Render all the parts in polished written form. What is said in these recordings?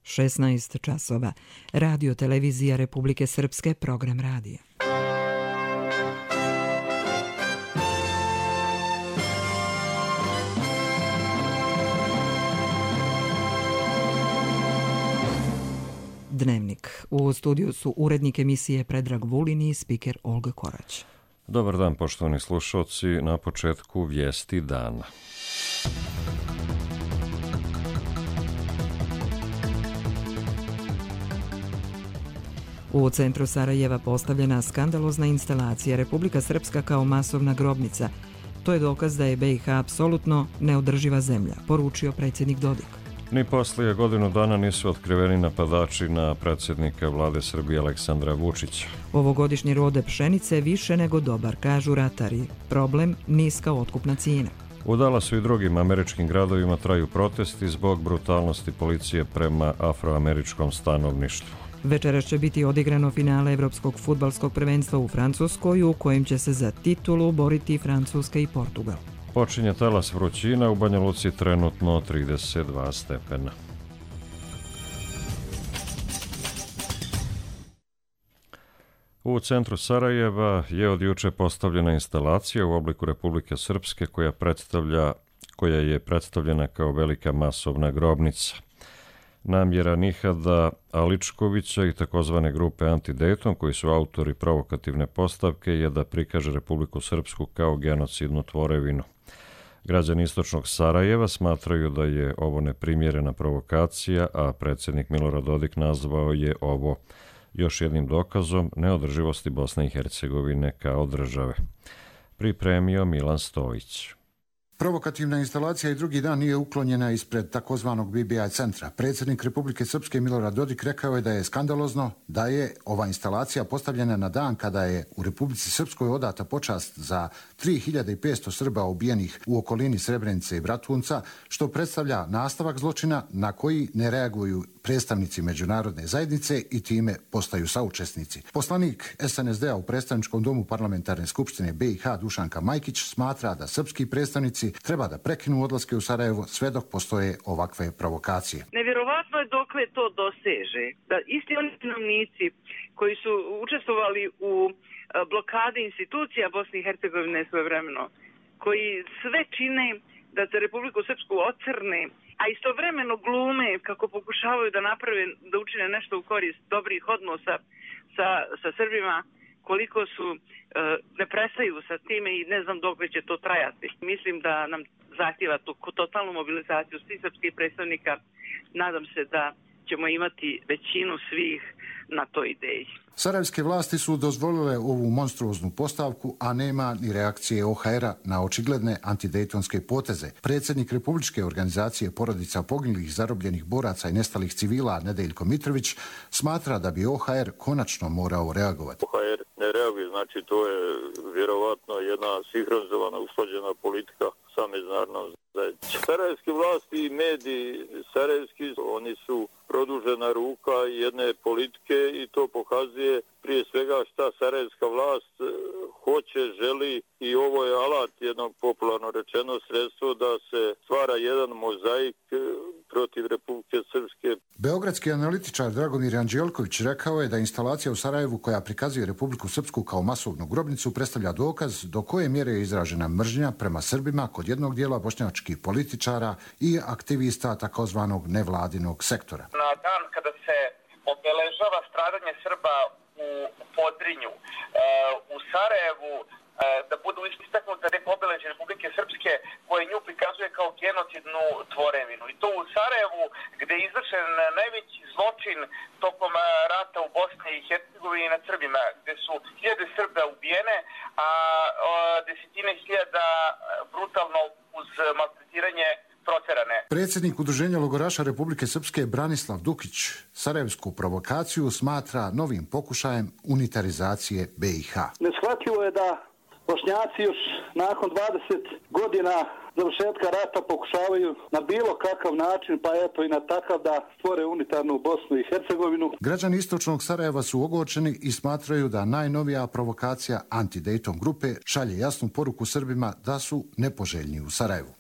16 časova. Radio Televizija Republike Srpske, program radija. Dnevnik. U studiju su urednik emisije Predrag Vulin i spiker Olga Korać. Dobar dan, poštovani slušalci. Na početku vijesti dana. U centru Sarajeva postavljena skandalozna instalacija Republika Srpska kao masovna grobnica. To je dokaz da je BiH apsolutno neodrživa zemlja, poručio predsjednik Dodik. Ni poslije godinu dana nisu otkriveni napadači na predsjednika vlade Srbije Aleksandra Vučića. Ovogodišnji rode pšenice više nego dobar, kažu ratari. Problem niska otkupna cijena. U Dallasu i drugim američkim gradovima traju protesti zbog brutalnosti policije prema afroameričkom stanovništvu. Večeras će biti odigrano finale Evropskog fudbalskog prvenstva u Francuskoj, u kojem će se za titulu boriti Francuska i Portugal. Počinje talas vrućina, u Banja Luci trenutno 32 stepena. U centru Sarajeva je od juče postavljena instalacija u obliku Republike Srpske koja je predstavljena kao velika masovna grobnica. Namjera Nihada Aličkovića i takozvane grupe Anti-Dayton, koji su autori provokativne postavke, je da prikaže Republiku Srpsku kao genocidnu tvorevinu. Građani istočnog Sarajeva smatraju da je ovo neprimjerena provokacija, a predsjednik Milorad Dodik nazvao je ovo još jednim dokazom neodrživosti Bosne i Hercegovine kao države. Pripremio Milan Stojić. Provokativna instalacija i drugi dan nije uklonjena ispred takozvanog BBI centra. Predsjednik Republike Srpske Milorad Dodik rekao je da je skandalozno da je ova instalacija postavljena na dan kada je u Republici Srpskoj odata počast za 3500 Srba ubijenih u okolini Srebrenice i Bratunca, što predstavlja nastavak zločina na koji ne reaguju predstavnici međunarodne zajednice i time postaju saučesnici. Poslanik SNSD-a u predstavničkom domu parlamentarne skupštine BiH Dušanka Majkić smatra da srpski predstavnici treba da prekinu odlaske u Sarajevo sve dok postoje ovakve provokacije. Nevjerovatno je dokle to doseže. Da isti oni stanovnici koji su učestvovali u blokadi institucija Bosne i Hercegovine svojevremeno, koji sve čine da se Republiku Srpsku ocrne, a istovremeno glume kako pokušavaju da naprave, da učine nešto u korist dobrih odnosa sa Srbima, koliko su ne prestaju sa time i ne znam dok će to trajati. Mislim da nam zahtjeva tu totalnu mobilizaciju svih srpskih predstavnika. Nadam se da ćemo imati većinu svih na toj ideji. Sarajevske vlasti su dozvolile ovu monstruoznu postavku, a nema ni reakcije OHR-a na očigledne antidejtonske poteze. Predsjednik Republičke organizacije porodica poginulih, zarobljenih boraca i nestalih civila Nedeljko Mitrović smatra da bi OHR konačno morao reagovati. OHR ne reaguje, znači to je vjerovatno jedna sinhronizovana, usklađena politika sa međunarodnom zajednicom. Sarajevske vlasti i mediji sarajevski, oni su produžena ruka jedne politike i to pokazuje prije svega šta sarajevska vlast hoće, želi i ovo je alat, jednog popularno rečeno sredstvo da se stvara jedan mozaik protiv Republike Srpske. Beogradski analitičar Dragomir Anđelković rekao je da instalacija u Sarajevu koja prikazuje Republiku Srpsku kao masovnu grobnicu predstavlja dokaz do koje mjere je izražena mržnja prema Srbima kod jednog dijela bošnjačkih političara i aktivista takozvanog nevladinog sektora. Na dan kada se obeležava stradanje Srba u Podrinju, u Sarajevu, da budu istaknute neke obeležje Republike Srpske koje nju prikazuje kao genocidnu tvorevinu. I to u Sarajevu gdje je izvršen najveći zločin tokom rata u Bosni i Hercegovini nad Srbima, gdje su hiljade Srba ubijene, a desetine hiljada brutalno uz maltretiranje proterane. Predsjednik Udruženja logoraša Republike Srpske Branislav Dukić sarajevsku provokaciju smatra novim pokušajem unitarizacije BiH. Neshvatljivo je da Bošnjaci još nakon 20 godina završetka rata pokušavaju na bilo kakav način, pa eto i na takav da stvore unitarnu Bosnu i Hercegovinu. Građani istočnog Sarajeva su ogorčeni i smatraju da najnovija provokacija Anti-Dayton grupe šalje jasnu poruku Srbima da su nepoželjni u Sarajevu.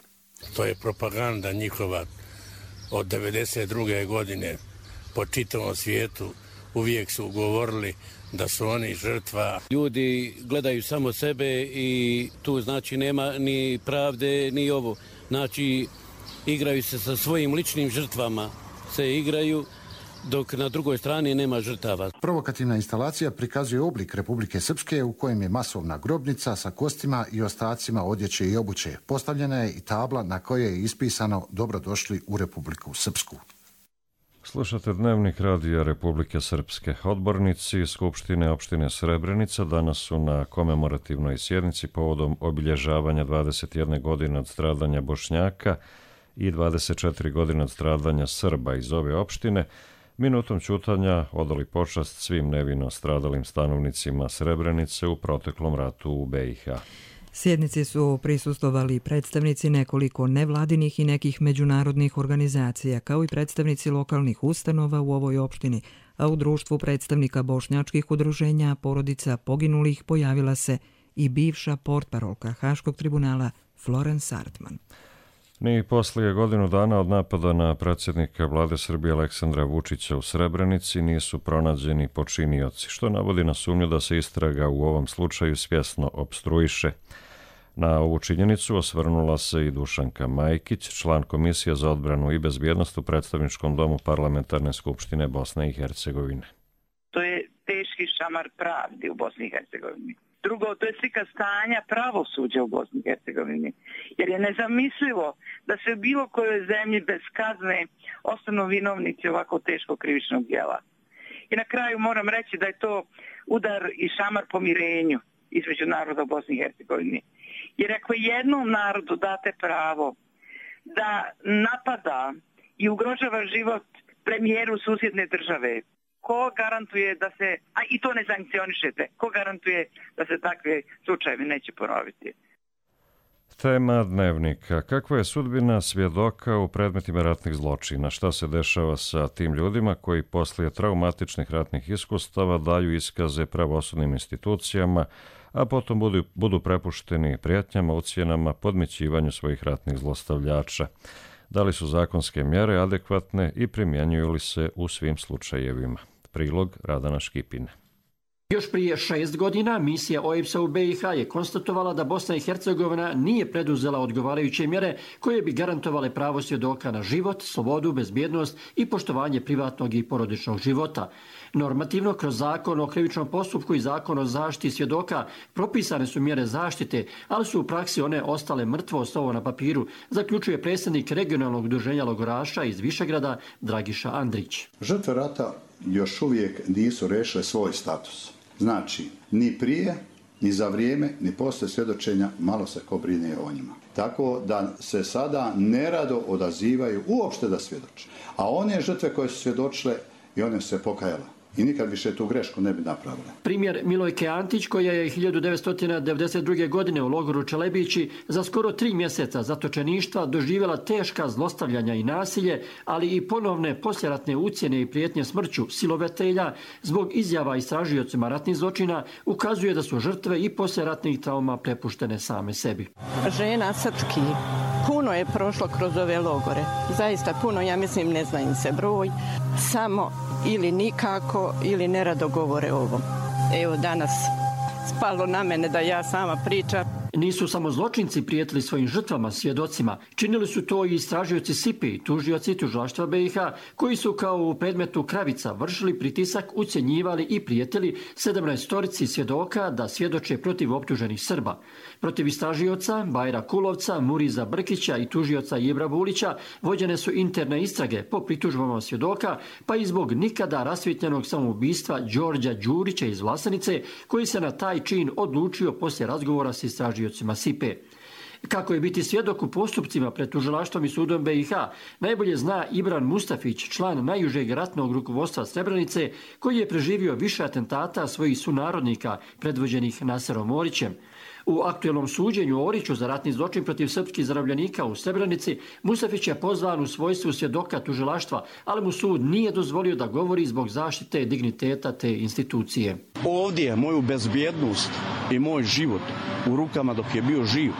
To je propaganda njihova od 92. godine po čitavom svijetu uvijek su govorili da su oni žrtva. Ljudi gledaju samo sebe i tu znači nema ni pravde ni ovo. Znači igraju se sa svojim ličnim žrtvama, se igraju dok na drugoj strani nema žrtava. Provokativna instalacija prikazuje oblik Republike Srpske u kojem je masovna grobnica sa kostima i ostacima odjeće i obuće. Postavljena je i tabla na kojoj je ispisano dobrodošli u Republiku Srpsku. Slušate Dnevnik radija Republike Srpske. Odbornici Skupštine opštine Srebrenica danas su na komemorativnoj sjednici povodom obilježavanja 21 godine od stradanja Bošnjaka i 24 godine od stradanja Srba iz ove opštine minutom ćutanja odali počast svim nevino stradalim stanovnicima Srebrenice u proteklom ratu u BiH. Sjednici su prisustvovali predstavnici nekoliko nevladinih i nekih međunarodnih organizacija, kao i predstavnici lokalnih ustanova u ovoj opštini, a u društvu predstavnika bošnjačkih udruženja porodica poginulih pojavila se i bivša portparolka Haškog tribunala Florence Artman. Ni poslije godinu dana od napada na predsjednika vlade Srbije Aleksandra Vučića u Srebrenici nisu pronađeni počinioci, što navodi na sumnju da se istraga u ovom slučaju svjesno opstruiše. Na ovu činjenicu osvrnula se i Dušanka Majkić, član Komisije za odbranu i bezbjednost u Predstavničkom domu Parlamentarne skupštine Bosne i Hercegovine. To je teški šamar pravdi u Bosni i Hercegovini. Drugo, to je slika stanja pravosuđa u Bosni i Hercegovini. Jer je nezamislivo da se u bilo kojoj zemlji bez kazne ostanu vinovnici ovako teškog krivičnog djela. I na kraju moram reći da je to udar i šamar pomirenju između naroda u Bosni i Hercegovini. Jer ako jednom narodu date pravo da napada i ugrožava život premijeru susjedne države, ko garantuje da se, a i to ne sankcionišete, ko garantuje da se takve slučajevi neće ponoviti? Tema Dnevnika. Kakva je sudbina svjedoka u predmetima ratnih zločina? Šta se dešava sa tim ljudima koji poslije traumatičnih ratnih iskustava daju iskaze pravosudnim institucijama, a potom budu prepušteni prijetnjama, ucjenama, podmićivanju svojih ratnih zlostavljača? Da li su zakonske mjere adekvatne i primjenjuju li se u svim slučajevima? Prilog Radana Škipine. Još prije 6 godina misija OEBS-a u BiH je konstatovala da Bosna i Hercegovina nije preduzela odgovarajuće mjere koje bi garantovale pravo svjedoka na život, slobodu, bezbjednost i poštovanje privatnog i porodičnog života. Normativno, kroz zakon o krivičnom postupku i zakon o zaštiti svjedoka propisane su mjere zaštite, ali su u praksi one ostale mrtvo slovo na papiru, zaključuje predsjednik regionalnog udruženja logoraša iz Višegrada Dragiša Andrić. Žrtve rata još uvijek nisu rešile svoj status. Znači, ni prije, ni za vrijeme, ni poslije svjedočenja malo se ko brine o njima. Tako da se sada nerado odazivaju uopšte da svjedoče. A one žrtve koje su svjedočile i one su se pokajale. I nikad više tu grešku ne bi napravile. Primjer Milojke Antić, koja je 1992. godine u logoru Čelebići za skoro 3 mjeseca zatočeništva doživjela teška zlostavljanja i nasilje, ali i ponovne posljeratne ucjene i prijetnje smrću silovatelja zbog izjava istražiocima ratnih zločina, ukazuje da su žrtve i posljeratnih trauma prepuštene same sebi. Žena srpski puno je prošlo kroz ove logore. Zaista puno, ja mislim, ne zna im se broj. Samo ili nikako ili nerado govore o ovom. Evo danas spalo na mene da ja sama pričam. Nisu samo zločinci prijetili svojim žrtvama, svjedocima. Činili su to i istražioci SIPI, tužioci tužilaštva BiH, koji su kao u predmetu Kravica vršili pritisak, ucjenjivali i prijetili 17 svjedoka da svjedoče protiv optuženih Srba. Protiv istražioca Bajra Kulovca, Muriza Brkića i tužioca Ibra Vulića vođene su interne istrage po pritužbama svjedoka, pa i zbog nikada rasvjetljenog samoubistva Đorđa Đurića iz Vlasenice, koji se na taj čin odlučio poslije razgovora s istražiocima SIPE. Kako je biti svjedok u postupcima pred tužilaštvom i sudom BiH, najbolje zna Ibran Mustafić, član najužeg ratnog rukovodstva Srebrenice, koji je preživio više atentata svojih sunarodnika predvođenih Naserom Orićem. U aktuelnom suđenju Oriću za ratni zločin protiv srpskih zarobljenika u Srebrenici, Mustafić je pozvan u svojstvu svjedoka tužilaštva, ali mu sud nije dozvolio da govori zbog zaštite digniteta te institucije. Ovdje je moju bezbjednost i moj život u rukama dok je bio živ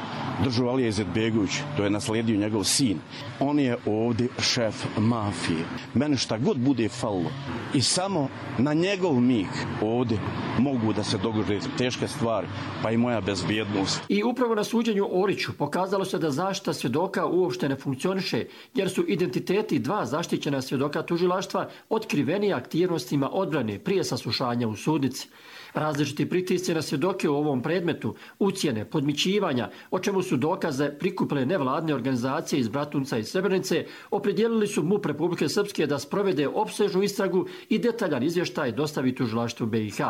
držao Alija Izetbegović, to je nasledio njegov sin. On je ovdje šef mafije. Mene šta god bude falilo i samo na njegov mig ovdje mogu da se dogode teške stvari, pa i moja bezbjednost. I upravo na suđenju Oriću pokazalo se da zaštita svjedoka uopšte ne funkcioniše, jer su identiteti dva zaštićena svjedoka tužilaštva otkriveni aktivnostima odbrane prije saslušanja u sudnici. Različiti pritisci na svjedoke u ovom predmetu, ucjene, podmićivanja, o čemu su dokaze prikupile nevladne organizacije iz Bratunca i Srebrenice, opredijelili su MUP Republike Srpske da sprovede opsežnu istragu i detaljan izvještaj dostavi tužilaštvu BiH.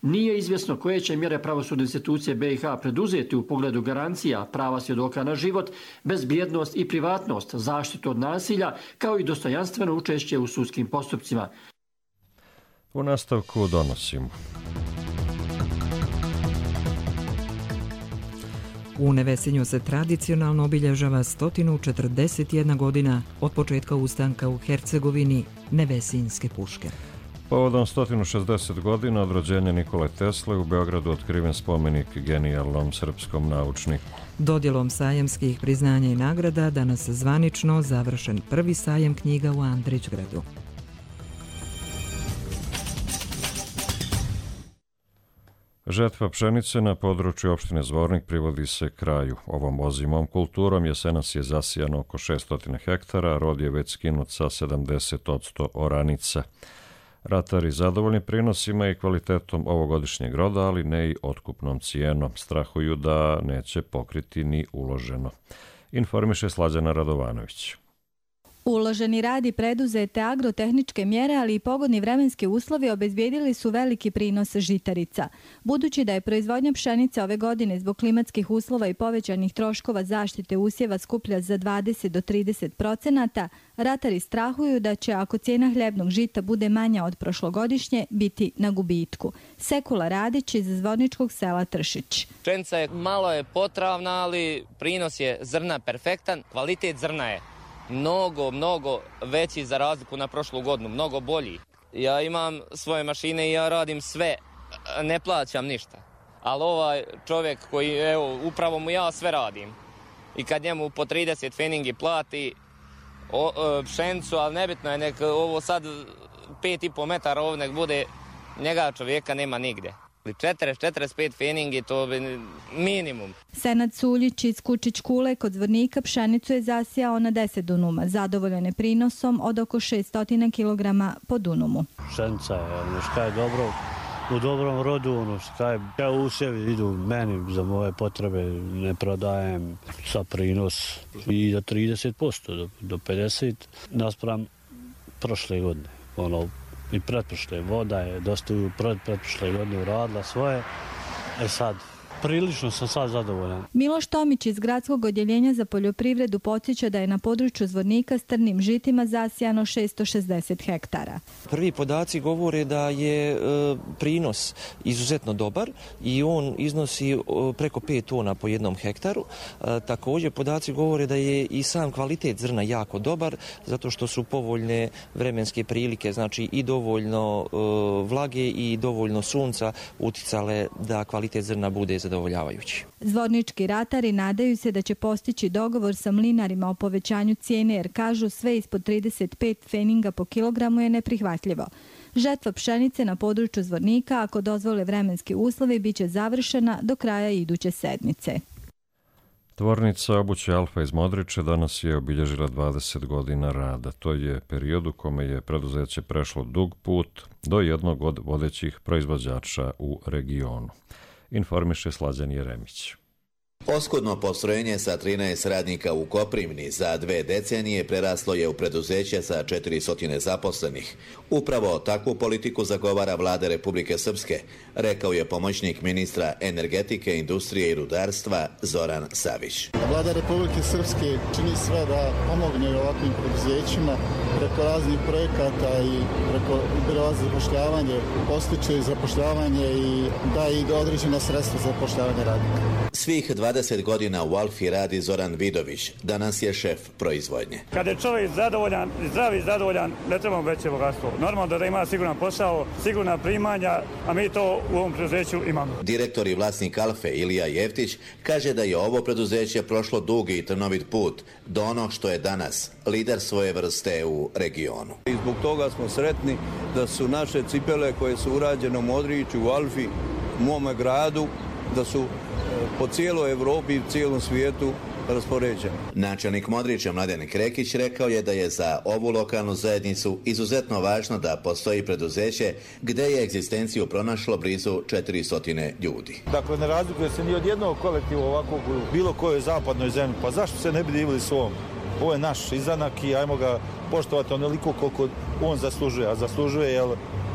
Nije izvjesno koje će mjere pravosudne institucije BiH preduzeti u pogledu garancija prava svjedoka na život, bezbjednost i privatnost, zaštitu od nasilja, kao i dostojanstveno učešće u sudskim postupcima. U nastavku donosimo. U Nevesinju se tradicionalno obilježava 141 godina od početka ustanka u Hercegovini Nevesinjske puške. Povodom 160 godina od rođenja Nikole Tesle u Beogradu otkriven spomenik genijalnom srpskom naučniku. Dodjelom sajamskih priznanja i nagrada danas zvanično završen prvi sajam knjiga u Andrićgradu. Žetva pšenice na području opštine Zvornik privodi se kraju. Ovom ozimom kulturom jesenas je zasijano oko 600 hektara, rod je već skinut sa 70% oranica. Ratari zadovoljni prinosima i kvalitetom ovogodišnjeg roda, ali ne i otkupnom cijenom. Strahuju da neće pokriti ni uloženo. Informiše Slađana Radovanović. Uloženi rad i preduzete agrotehničke mjere, ali i pogodni vremenski uslovi obezbijedili su veliki prinos žitarica. Budući da je proizvodnja pšenice ove godine zbog klimatskih uslova i povećanih troškova zaštite usjeva skuplja za 20 do 30%, ratari strahuju da će, ako cijena hljebnog žita bude manja od prošlogodišnje, biti na gubitku. Sekula Radić iz zvorničkog sela Tršić. Pšenica je malo potravna, ali prinos je zrna perfektan, kvalitet zrna je mnogo veći za razliku na prošlu godinu, mnogo bolji. Ja imam svoje mašine i ja radim sve, ne plaćam ništa. Ali ovaj čovjek koji, evo, upravo mu ja sve radim. I kad njemu po 30 feningi plati pšenicu, ali nebitno je, nek ovo sad 5,5 metara ovo nek bude, njega čovjeka nema nigdje. 40-45 feningi, to je minimum. Senad Suljić iz Kučić Kule kod Zvornika pšenicu je zasijao na 10 dunuma, zadovoljan je prinosom od oko 600 kg po dunumu. Pšenica je dobro, u dobrom rodu, usjevi idu meni za moje potrebe, ne prodajem sa prinos i do 30%, do 50% naspram prošle godine. I pretprošle voda je dosta pretprošle godine uradila svoje. Sad, prilično sam sad zadovoljan. Miloš Tomić iz Gradskog odjeljenja za poljoprivredu podsjeća da je na području Zvornika s trnim žitima zasijano 660 hektara. Prvi podaci govore da je prinos izuzetno dobar i on iznosi preko 5 tona po jednom hektaru. Također podaci govore da je i sam kvalitet zrna jako dobar, zato što su povoljne vremenske prilike, znači i dovoljno vlage i dovoljno sunca uticale da kvalitet zrna bude zadovoljavajući. Zvornički ratari nadaju se da će postići dogovor sa mlinarima o povećanju cijene, jer kažu sve ispod 35 feninga po kilogramu je neprihvatljivo. Žetva pšenice na području Zvornika, ako dozvole vremenski uslovi, bit će završena do kraja iduće sedmice. Tvornica obuće Alfa iz Modriče danas je obilježila 20 godina rada. To je period u kome je preduzeće prešlo dug put do jednog od vodećih proizvođača u regionu. Informiše Slađan Jeremić. Oskudno postrojenje sa 13 radnika u Koprivni za 2 decenije preraslo je u preduzeće sa 400 zaposlenih. Upravo takvu politiku zagovara vlada Republike Srpske, rekao je pomoćnik ministra energetike, industrije i rudarstva Zoran Savić. Vlada Republike Srpske čini sve da pomogne ovakvim preduzećima preko raznih projekata i preko zapošljavanje, postiče zapošljavanje i daje i određena sredstva za zapošljavanje radnika. Svih 20 godina u Alfi radi Zoran Vidović, danas je šef proizvodnje. Kada je čovjek zadovoljan, zdrav i zadovoljan, ne trebamo veće bogatstvo. Normalno da ima siguran posao, sigurna primanja, a mi to u ovom preduzeću imamo. Direktor i vlasnik Alfe Ilija Jeftić kaže da je ovo preduzeće prošlo dugi i trnovit put do onog što je danas, lider svoje vrste u regionu. I zbog toga smo sretni da su naše cipele koje su urađene u Modriću, u Alfi, u mome gradu, da su po cijeloj Evropi i cijelom svijetu raspoređeni. Načelnik Modrića Mladen Krekić rekao je da je za ovu lokalnu zajednicu izuzetno važno da postoji preduzeće gdje je egzistenciju pronašlo blizu 400 ljudi. Dakle, ne razlikuje se ni od jednog kolektiva ovakvog u bilo kojoj zapadnoj zemlji. Pa zašto se ne bi divili svom? Ovo je naš izanak i ajmo ga poštovati onoliko koliko on zaslužuje, a zaslužuje je,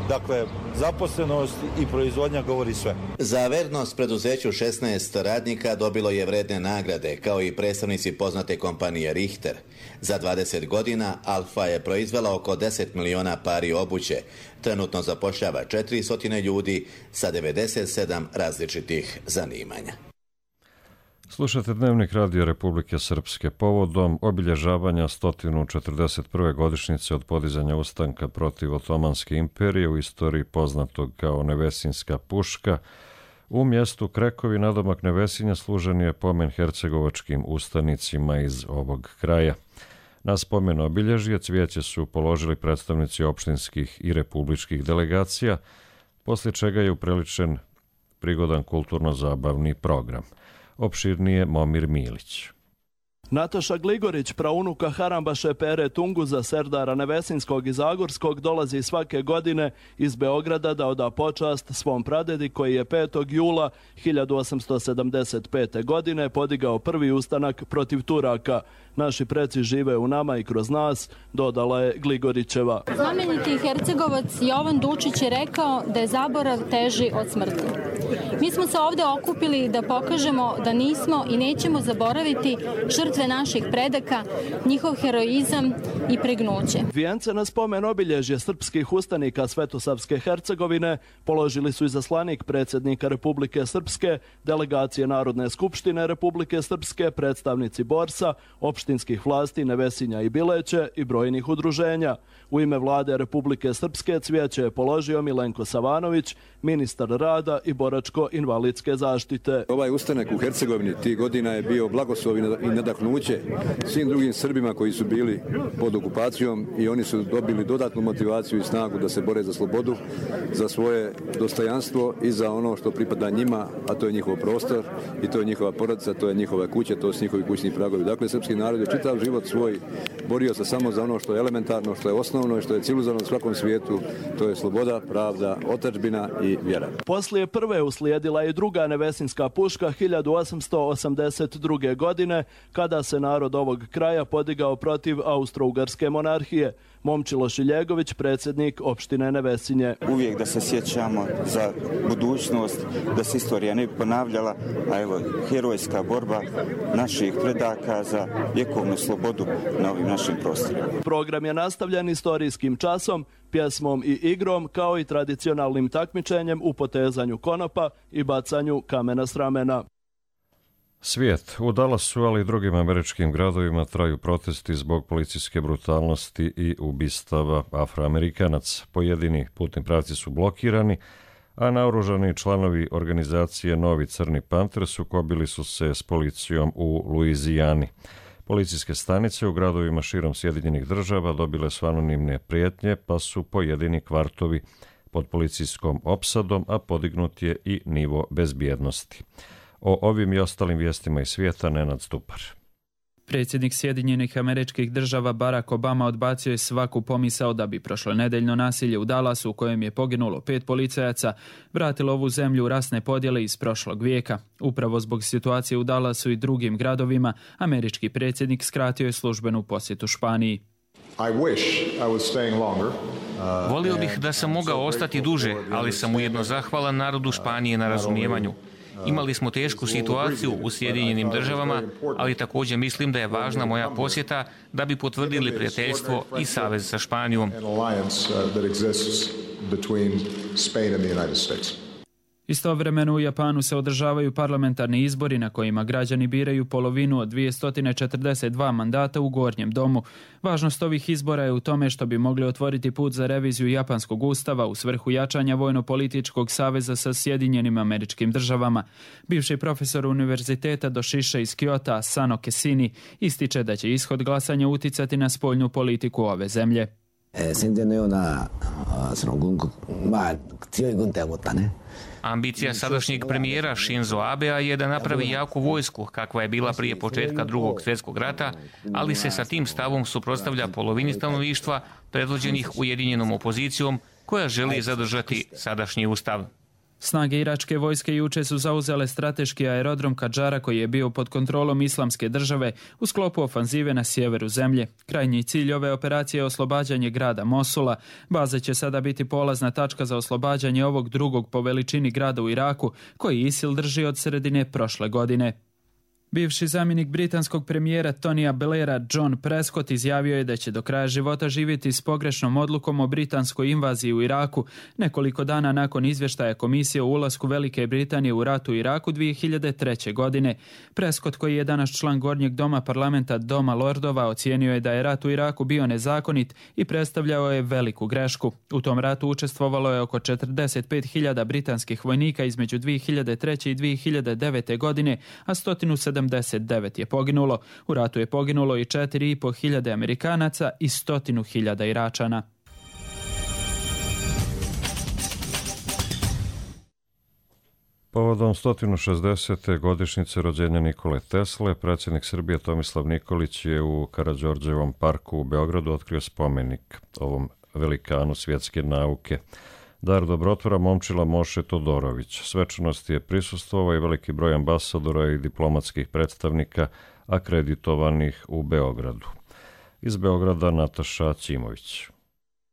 dakle, zaposlenost i proizvodnja govori sve. Za vernost preduzeću 16 radnika dobilo je vredne nagrade, kao i predstavnici poznate kompanije Richter. Za 20 godina Alfa je proizvela oko 10 miliona pari obuće. Trenutno zapošljava 400 ljudi sa 97 različitih zanimanja. Slušate Dnevnik Radio Republike Srpske povodom obilježavanja 141. godišnjice od podizanja ustanka protiv Otomanske imperije u istoriji poznatog kao Nevesinska puška. U mjestu Krekovi nadomak Nevesinja služen je pomen hercegovačkim ustanicima iz ovog kraja. Na spomen obilježje cvijeće su položili predstavnici opštinskih i republičkih delegacija, poslije čega je upriličen prigodan kulturno-zabavni program. Opširnije Momir Milić. Nataša Gligorić, praunuka Harambaše Pere Tunguza, serdara Nevesinskog i Zagorskog, dolazi svake godine iz Beograda da oda počast svom pradedi koji je 5. jula 1875. godine podigao prvi ustanak protiv Turaka. Naši preci žive u nama i kroz nas, dodala je Gligorićeva. Znameniti Hercegovac Jovan Dučić je rekao da je zaborav teži od smrti. Mi smo se ovdje okupili da pokažemo da nismo i nećemo zaboraviti žrtve naših predaka, njihov heroizam i pregnuće. Vijence na spomen obilježje srpskih ustanika Svetosavske Hercegovine položili su izaslanik predsjednika Republike Srpske, delegacije Narodne skupštine Republike Srpske, predstavnici Borsa, opštinskih vlasti Nevesinja i Bileće i brojnih udruženja. U ime vlade Republike Srpske cvijeće je položio Milenko Savanović, ministar rada i boračko-invalidske zaštite. Ovaj ustanak u Hercegovini tih godina je bio blagoslov i nadahnuće svim drugim Srbima koji su bili pod okupacijom i oni su dobili dodatnu motivaciju i snagu da se bore za slobodu, za svoje dostojanstvo i za ono što pripada njima, a to je njihov prostor i to je njihova porodica, to je njihova kuća, to su njihovi kućni pragovi. Dakle, srpski narod je čitav život svoj borio se samo za ono što je elementarno, što je osnovno i što je civilizovano u svakom svijetu, to je sloboda, pravda, otadžbina i vjera. Poslije prve uslijedila je druga Nevesinska puška 1882. godine, kada se narod ovog kraja podigao protiv Austro-Ugarske monarhije. Momčilo Šiljegović, predsjednik opštine Nevesinje. Uvijek da se sjećamo za budućnost, da se istorija ne bi ponavljala, a evo, herojska borba naših predaka za vjekovnu slobodu na ovim našim prostorima. Program je nastavljen istorijskim časom, pjesmom i igrom, kao i tradicionalnim takmičenjem u potezanju konopa i bacanju kamena s ramena. Svijet. U Dallasu, ali i drugim američkim gradovima traju protesti zbog policijske brutalnosti i ubistava Afroamerikanaca. Pojedini putni pravci su blokirani, a naoružani članovi organizacije Novi Crni Panter sukobili su se s policijom u Luizijani. Policijske stanice u gradovima širom Sjedinjenih Država dobile su anonimne prijetnje, pa su pojedini kvartovi pod policijskom opsadom, a podignut je i nivo bezbjednosti. O ovim i ostalim vijestima iz svijeta Nenad Stupar. Predsjednik Sjedinjenih Američkih Država Barack Obama odbacio je svaku pomisao da bi prošlonedeljno nasilje u Dallasu, u kojem je poginulo 5 policajaca, vratilo ovu zemlju u rasne podjele iz prošlog vijeka. Upravo zbog situacije u Dallasu i drugim gradovima, američki predsjednik skratio je službenu posjetu Španiji. Volio bih da sam mogao ostati duže, ali sam ujedno zahvalan narodu Španije na razumijevanju. Imali smo tešku situaciju u Sjedinjenim Državama, ali također mislim da je važna moja posjeta da bi potvrdili prijateljstvo i savez sa Španijom. Istovremeno u Japanu se održavaju parlamentarni izbori na kojima građani biraju polovinu od 242 mandata u Gornjem domu. Važnost ovih izbora je u tome što bi mogli otvoriti put za reviziju japanskog ustava u svrhu jačanja vojno-političkog saveza sa Sjedinjenim Američkim Državama. Bivši profesor univerziteta Doshisha iz Kyota, Sano Kesini, ističe da će ishod glasanja uticati na spoljnu politiku ove zemlje. Ambicija sadašnjeg premijera Shinzo Abea je da napravi jaku vojsku kakva je bila prije početka Drugog svjetskog rata, ali se sa tim stavom suprotstavlja polovini stanovništva predvođenih ujedinjenom opozicijom koja želi zadržati sadašnji ustav. Snage iračke vojske juče su zauzele strateški aerodrom Kadžara koji je bio pod kontrolom Islamske države u sklopu ofanzive na sjeveru zemlje. Krajnji cilj ove operacije je oslobađanje grada Mosula. Baza će sada biti polazna tačka za oslobađanje ovog drugog po veličini grada u Iraku koji ISIL drži od sredine prošle godine. Bivši zamjenik britanskog premijera Tonija Blaira John Prescott izjavio je da će do kraja života živjeti s pogrešnom odlukom o britanskoj invaziji u Iraku, nekoliko dana nakon izvještaja komisije o ulasku Velike Britanije u rat u Iraku 2003. godine. Prescott, koji je danas član Gornjeg doma parlamenta Doma Lordova, ocijenio je da je rat u Iraku bio nezakonit i predstavljao je veliku grešku. U tom ratu učestvovalo je oko 45.000 britanskih vojnika između 2003. i 2009. godine, a 179 je poginulo. U ratu je poginulo i 4.500 Amerikanaca i 100.000 Iračana. Povodom 160. godišnjice rođenja Nikole Tesle, predsjednik Srbije Tomislav Nikolić je u Karađorđevom parku u Beogradu otkrio spomenik ovom velikanu svjetske nauke. Dar dobrotvora momčila Moše Todorović. Svečanosti je prisustvovao i veliki broj ambasadora i diplomatskih predstavnika akreditovanih u Beogradu. Iz Beograda Nataša Ćimović.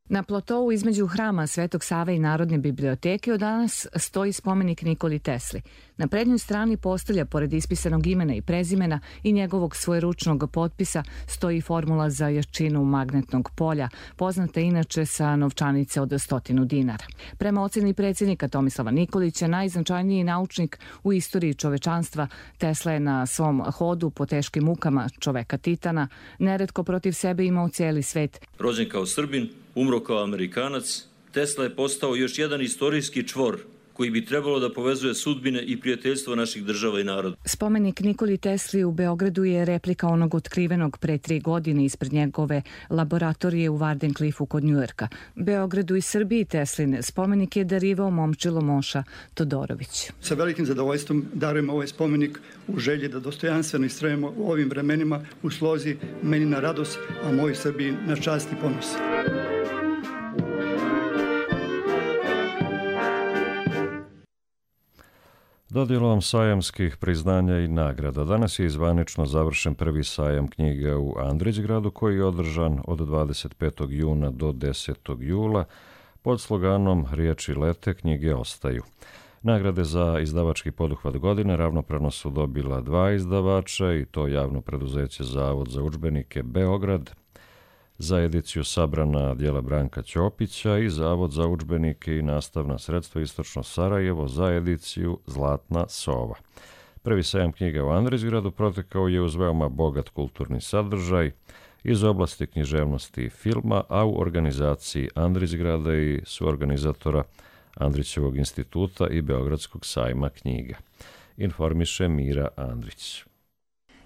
Na platou između hrama Svetog Save i Narodne biblioteke od danas stoji spomenik Nikoli Tesli. Na prednjoj strani postolja, pored ispisanog imena i prezimena i njegovog svojeručnog potpisa, stoji formula za jačinu magnetnog polja, poznata inače sa novčanice od 100 dinara. Prema ocjeni predsjednika Tomislava Nikolića, najznačajniji naučnik u istoriji čovečanstva, Tesla je na svom hodu po teškim mukama čoveka Titana neretko protiv sebe imao cijeli svet. Rođen kao Srbin, umro kao Amerikanac, Tesla je postao još jedan istorijski čvor koji bi trebalo da povezuje sudbine i prijateljstvo naših država i naroda. Spomenik Nikoli Tesli u Beogradu je replika onog otkrivenog pre 3 godine ispred njegove laboratorije u Wardenclyffu kod Njujorka. Beogradu i Srbiji Teslin spomenik je darivao momčilo Moša Todorović. Sa velikim zadovoljstvom darujem ovaj spomenik u želji da dostojanstveno istrajemo u ovim vremenima u slozi meni na radost, a moj Srbiji na čast i ponos. Dodjelom sajamskih priznanja i nagrada. Danas je zvanično završen prvi sajam knjige u Andrićgradu koji je održan od 25. juna do 10. jula pod sloganom Riječi lete, knjige ostaju. Nagrade za izdavački poduhvat godine ravnopravno su dobila 2 izdavača i to javno preduzeće Zavod za udžbenike Beograd, za ediciju Sabrana djela Branka Ćopića i Zavod za udžbenike i nastavna sredstva Istočno Sarajevo za ediciju Zlatna sova. Prvi sajam knjiga u Andrićgradu protekao je uz veoma bogat kulturni sadržaj iz oblasti književnosti i filma, a u organizaciji Andrićgrada i suorganizatora Andrićevog instituta i Beogradskog sajma knjiga. Informiše Mira Andrić.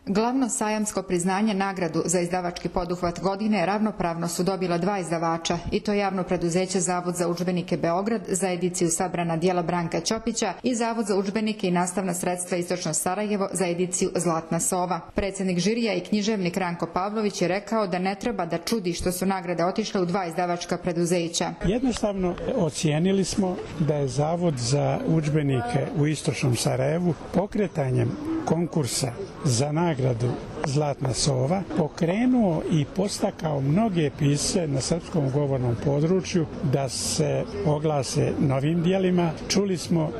Glavno sajamsko priznanje nagradu za izdavački poduhvat godine ravnopravno su dobila 2 izdavača i to javno preduzeće Zavod za udžbenike Beograd za ediciju Sabrana djela Branka Ćopića i Zavod za udžbenike i nastavna sredstva Istočno Sarajevo za ediciju Zlatna sova. Predsjednik žirija i književnik Ranko Pavlović je rekao da ne treba da čudi što su nagrade otišle u 2 izdavačka preduzeća. Jednostavno ocijenili smo da je Zavod za udžbenike u Istočnom Sarajevu pokretanjem konkursa za nagradu Zlatna sova, pokrenuo i postakao mnoge pisce na srpskom govornom području da se oglase novim dijelima. Čuli smo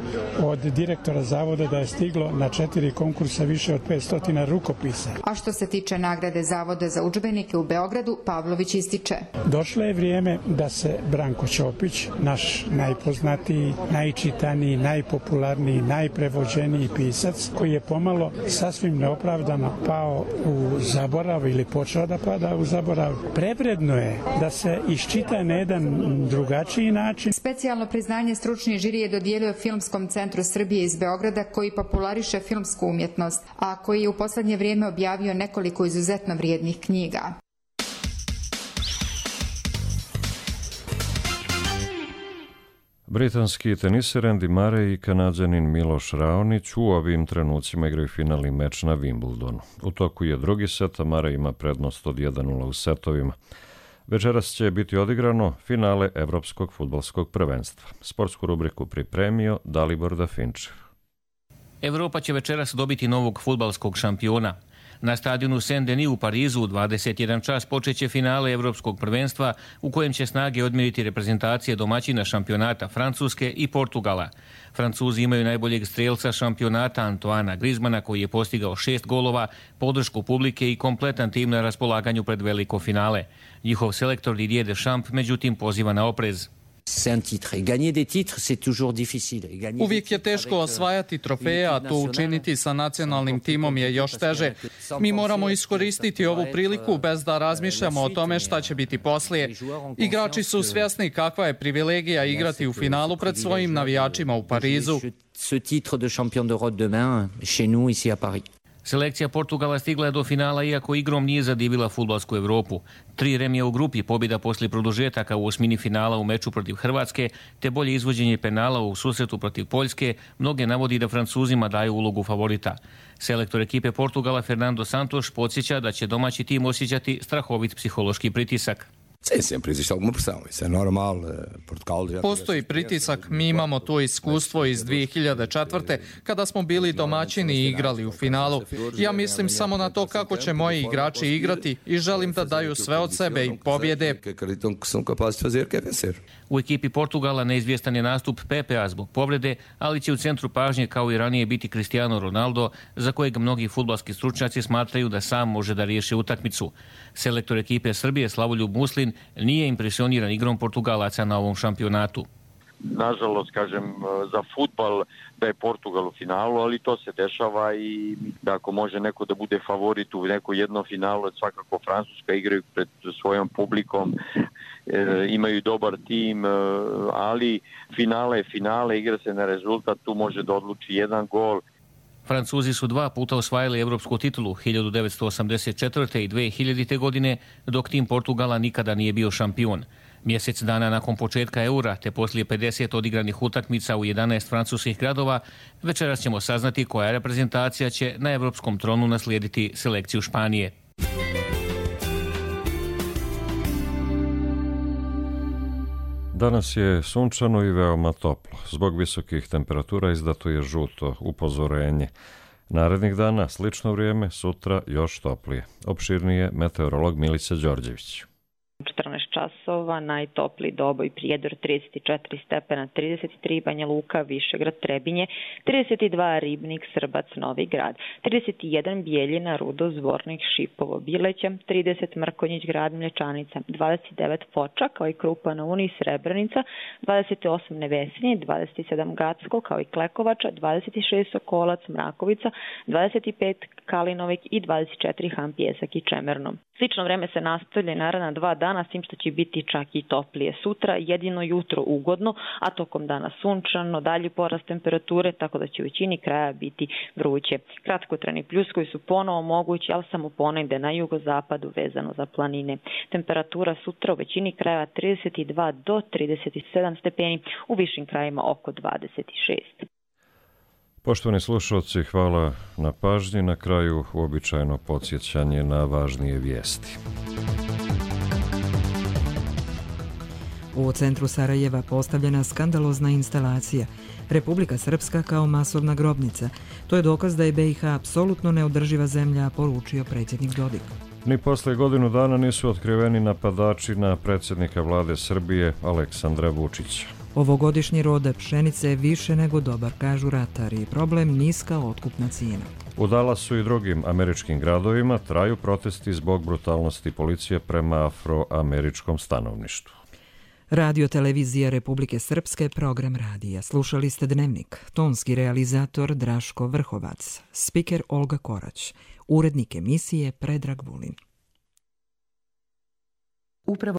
od direktora zavoda da je stiglo na 4 konkursa više od 500 rukopisa. A što se tiče nagrade Zavoda za udžbenike u Beogradu, Pavlović ističe: došlo je vrijeme da se Branko Ćopić, naš najpoznatiji, najčitaniji, najpopularniji, najprevođeniji pisac, koji je pomalo sasvim neopravdano pao u zaborav ili počeo da pada u zaborav, prevredno je da se iščita na jedan drugačiji način. Specijalno priznanje stručni žiri je dodijelio Filmskom centru Srbije iz Beograda, koji populariše filmsku umjetnost, a koji je u posljednje vrijeme objavio nekoliko izuzetno vrijednih knjiga. Britanski teniser Andy Murray i Kanađanin Miloš Raonić u ovim trenucima igraju finalni meč na Wimbledonu. U toku je drugi set, a Murray ima prednost od 1:0 u setovima. Večeras će biti odigrano finale Evropskog fudbalskog prvenstva. Sportsku rubriku pripremio Dalibor Dafinčev. Evropa će večeras dobiti novog fudbalskog šampiona. Na stadionu Saint-Denis u Parizu u 21 čas počeće finale Evropskog prvenstva u kojem će snage odmjeriti reprezentacije domaćina šampionata Francuske i Portugala. Francuzi imaju najboljeg strelca šampionata Antoana Griezmana, koji je postigao 6 golova, podršku publike i kompletan tim na raspolaganju pred veliko finale. Njihov selektor Didier Deschamps međutim poziva na oprez. Uvijek je teško osvajati trofeje, a to učiniti sa nacionalnim timom je još teže. Mi moramo iskoristiti ovu priliku bez da razmišljamo o tome šta će biti poslije. Igrači su svjesni kakva je privilegija igrati u finalu pred svojim navijačima u Parizu. Selekcija Portugala stigla je do finala iako igrom nije zadivila fudbalsku Evropu. 3 remija u grupi, pobjeda poslije produžetaka u osmini finala u meču protiv Hrvatske, te bolje izvođenje penala u susretu protiv Poljske, mnoge navodi da Francuzima daju ulogu favorita. Selektor ekipe Portugala Fernando Santos podsjeća da će domaći tim osjećati strahovit psihološki pritisak. Postoji pritisak, mi imamo to iskustvo iz 2004. kada smo bili domaćini i igrali u finalu. Ja mislim samo na to kako će moji igrači igrati i želim da daju sve od sebe i pobjede. U ekipi Portugala neizvjestan je nastup Pepea zbog povrede, ali će u centru pažnje kao i ranije biti Cristiano Ronaldo, za kojeg mnogi fudbalski stručnjaci smatraju da sam može da riješi utakmicu. Selektor ekipe Srbije Slavoljub Muslin nije impresioniran igrom Portugalaca na ovom šampionatu. Nažalost, kažem, za fudbal da je Portugal u finalu, ali to se dešava i da ako može neko da bude favorit u neko jedno finalu, svakako Francuska, igraju pred svojom publikom, imaju dobar tim, ali finale je finale, igra se na rezultat, tu može da odluči jedan gol. Francuzi su 2 puta osvajali evropsku titulu, 1984. i 2000. godine, dok tim Portugala nikada nije bio šampion. Mjesec dana nakon početka eura, te poslije 50 odigranih utakmica u 11 francuskih gradova, večeras ćemo saznati koja reprezentacija će na evropskom tronu naslijediti selekciju Španije. Danas je sunčano i veoma toplo. Zbog visokih temperatura izdato je žuto upozorenje. Narednih dana slično vrijeme, sutra još toplije. Opširnije meteorolog Milica Đorđević. 14 časova, najtopliji Doboj, Prijedor 34 stepena, 33 Banja Luka, Višegrad, Trebinje, 32 Ribnik, Srbac, Novi Grad, 31 Bijeljina, Rudo, Zvornik, Šipovo, Bileća, 30 Mrkonjić, Grad, Mlječanica, 29 Foča, kao i Krupa na Uni, Srebrenica, 28 Nevesinje, 27 Gacko, kao i Klekovača, 26 Sokolac, Mrakovica, 25 Kalinovik i 24 Han, Pjesak i Čemerno. Slično vreme se nastavlja naredna 2 dana, s tim što će biti čak i toplije sutra, jedino jutro ugodno, a tokom dana sunčano, dalji porast temperature, tako da će u većini kraja biti vruće. Kratkotrajni pljuskovi su ponovo mogući, ali samo ponegde na jugozapadu vezano za planine. Temperatura sutra u većini krajeva 32 do 37 stepeni, u višim krajima oko 26. Poštovani slušalci, hvala na pažnji. Na kraju uobičajeno podsjećanje na važnije vijesti. U centru Sarajeva postavljena skandalozna instalacija. Republika Srpska kao masovna grobnica. To je dokaz da je BiH apsolutno neodrživa zemlja, poručio predsjednik Dodik. Ni posle godinu dana nisu otkriveni napadači na predsjednika vlade Srbije Aleksandra Vučića. Ovogodišnji rod pšenice je više nego dobar, kažu ratari. Problem niska otkupna cijena. U Dallasu i drugim američkim gradovima traju protesti zbog brutalnosti policije prema afroameričkom stanovništvu. Radio televizija Republike Srpske, program radija. Slušali ste Dnevnik. Tonski realizator Draško Vrhovac. Spiker Olga Korać. Urednik emisije Predrag Vulin.